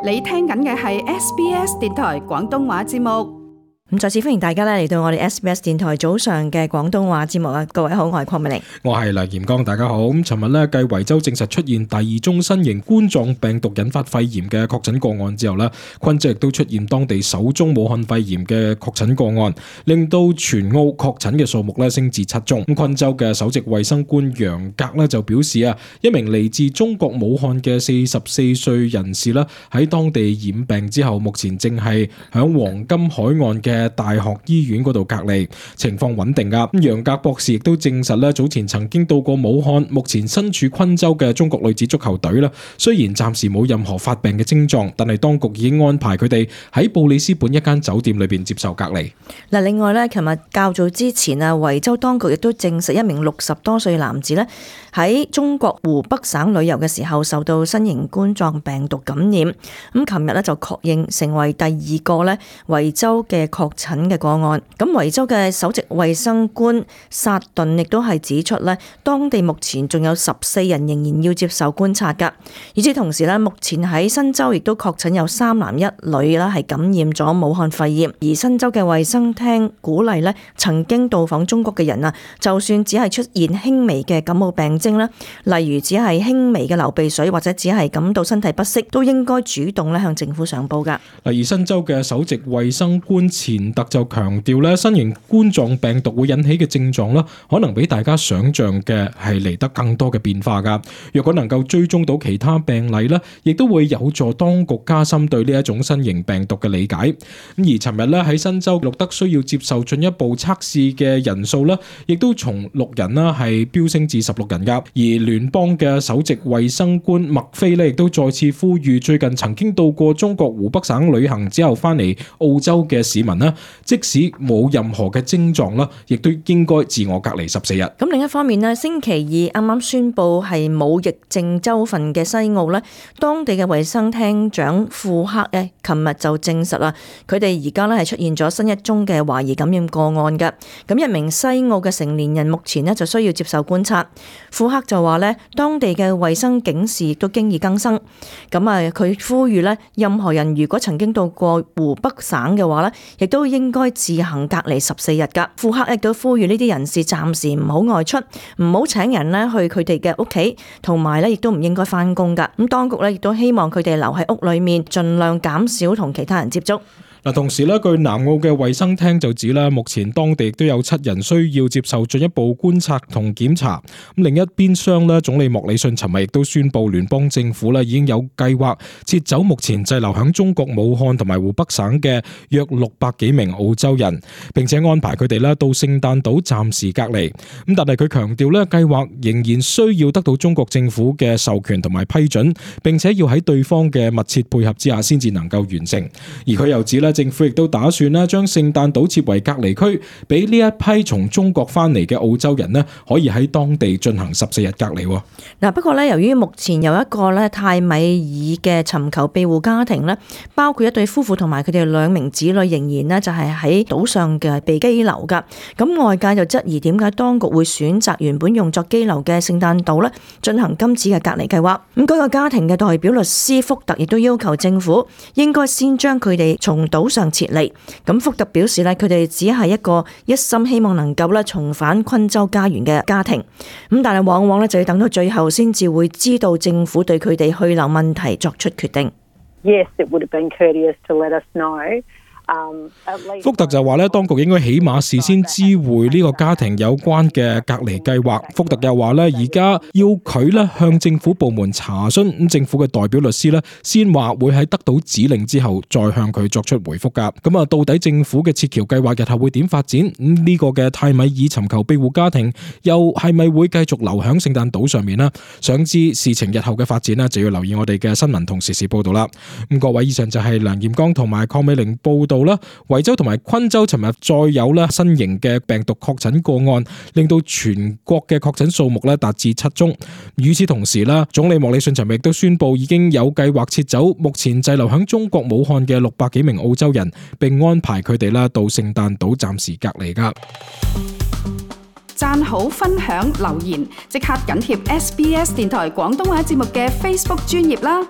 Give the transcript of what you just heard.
你聽緊嘅係 SBS 電台廣東話節目。咁再次歡迎大家嚟到我哋 SBS 電台早上嘅廣東話節目啊！各位好，我係鄺美玲，我係梁炎剛，大家好。咁尋日咧，繼維州證實出現第二宗新型冠狀病毒引發肺炎嘅確診個案之後咧，昆州亦都出現當地首宗武漢肺炎嘅確診個案，令到全澳確診嘅數目咧升至7宗。咁昆州嘅首席衛生官楊格咧就表示啊，一名嚟自中國武漢嘅44歲人士咧喺當地染病之後，目前正係響黃金海岸嘅大學醫院嗰度隔離，情況穩定噶。咁楊格博士亦都證實咧，早前曾經到過武漢，目前身處昆州嘅中國女子足球隊啦，雖然暫時冇任何發病嘅症狀，但係當局已經安排佢哋喺布里斯本一間酒店裏邊接受隔離。嗱，另外咧，琴日較早之前啊，維州當局亦都證實一名60多歲男子咧喺中國湖北省旅遊嘅時候受到新型冠狀病毒感染。咁琴日咧就確認成為第二個咧維州嘅確診嘅個案。咁維州嘅首席衛生官薩頓亦都係指出咧，當地目前仲有14人仍然要接受觀察噶。與此同時咧，目前喺新州亦都確診有3男1女啦係感染咗武漢肺炎。而新州嘅衛生廳鼓勵咧曾經到訪中國嘅人啊，就算只係出現輕微嘅感冒病徵啦，例如只係輕微嘅流鼻水或者只係感到身體不適，都應該主動咧向政府上報噶。而新州嘅首席衛生官錢特就強調咧，新型冠狀病毒會引起嘅症狀啦，可能比大家想象嘅係嚟得更多嘅變化噶。若果能夠追蹤到其他病例咧，亦都會有助當局加深對呢一種新型病毒嘅理解。咁而尋日咧喺新州錄得需要接受進一步測試嘅人數咧，亦都從6人啦係飆升至16人噶。而聯邦嘅首席衛生官麥菲咧亦都再次呼籲最近曾經到過中國湖北省旅行之後翻嚟澳洲嘅市民啦，即使冇任何嘅症狀啦，亦都應該自我隔離14日。咁另一方面咧，星期二啱啱宣布係冇疫症州份嘅西澳咧，當地嘅衛生廳長庫克咧，琴日就證實啦，佢哋而家咧係出現咗新一宗嘅懷疑感染個案嘅。咁一名西澳嘅成年人目前咧就需要接受觀察。庫克就話咧，當地嘅衛生警示亦都經已更新。咁啊，佢呼籲咧，任何人如果曾經到過湖北省嘅話咧，亦都應該自行隔離14日噶。庫克亦都呼籲呢啲人士暫時唔好外出，唔好請人咧去佢哋嘅屋企，同埋咧亦都唔應該翻工噶。咁當局咧亦都希望佢哋留喺屋裏面，盡量減少同其他人接觸。同時咧，據南澳嘅衛生廳就指咧，目前當地亦都有7人需要接受進一步觀察同檢查。咁另一邊廂咧，總理莫里遜尋日亦都宣布，聯邦政府咧已經有計劃撤走目前滯留響中國武漢同埋湖北省嘅約600幾名澳洲人，並且安排佢哋咧到聖誕島暫時隔離。咁但係佢強調咧，計劃仍然需要得到中國政府嘅授權同埋批准，並且要喺對方嘅密切配合之下先至能夠完成。而佢又指咧，政府亦都打算咧將聖誕島設為隔離區，俾呢一批從中國翻嚟嘅澳洲人咧，可以喺當地進行14日隔離。嗱，不過咧，由於目前有一個咧泰米爾嘅尋求庇護家庭咧，包括一對夫婦同埋佢哋2名子女，仍然咧就係喺島上嘅被羈留噶。咁外界就質疑點解當局會選擇原本用作羈留嘅聖誕島咧進行今次嘅隔離計劃。咁嗰個家庭嘅代表律師福特亦都要求政府應該先將佢哋從島上撤離。咁福特表示咧，佢哋只係一個一心希望能夠咧重返昆州家園嘅家庭。咁但係往往咧就要等到最後先至會知道政府對佢哋去留問題作出決定。Yes, it would have been courteous to let us know. 福特就話咧，當局應該起碼事先知會呢個家庭有關嘅隔離計劃。福特又話咧，而家要佢咧向政府部門查詢，咁政府嘅代表律師咧先話會喺得到指令之後再向佢作出回覆噶。咁啊，到底政府嘅撤僑計劃日後會點發展？呢個嘅泰米爾尋求庇護家庭又係咪會繼續留響聖誕島上面呢？想知事情日後嘅發展呢，就要留意我哋嘅新聞同時事報道啦。咁各位，以上就係梁炎剛同埋鄺美玲報道啦。維州同埋昆州尋日再有咧新型嘅病毒確診個案，令到全國嘅確診數目咧達至7宗。與此同時啦，總理莫里遜尋日亦都宣布已經有計劃撤走目前滯留響中國武漢嘅600幾名澳洲人，並安排佢哋啦到聖誕島暫時隔離噶。讚好、分享、留言，即刻緊貼SBS 電台廣東話節目嘅 Facebook 專頁啦！